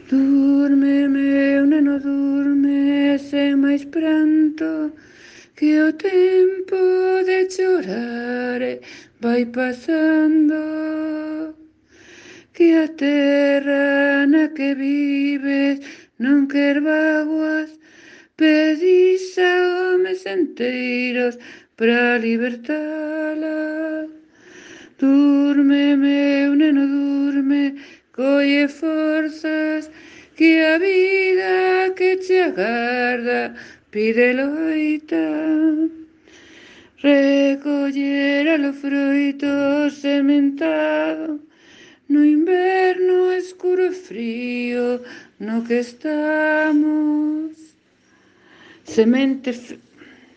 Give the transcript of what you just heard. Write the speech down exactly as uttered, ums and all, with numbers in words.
Durme, meu neno, durme, sen máis pranto, que o tempo de chorar vai pasando, que a terra na que vives non quer vaguas, pedís a homes enteiros para libertala. Durme, meu neno, durme, colle forzas, que a vida que te agarda pide loita. Recoller a los froitos sementado no inverno escuro e frío no que estamos. Semente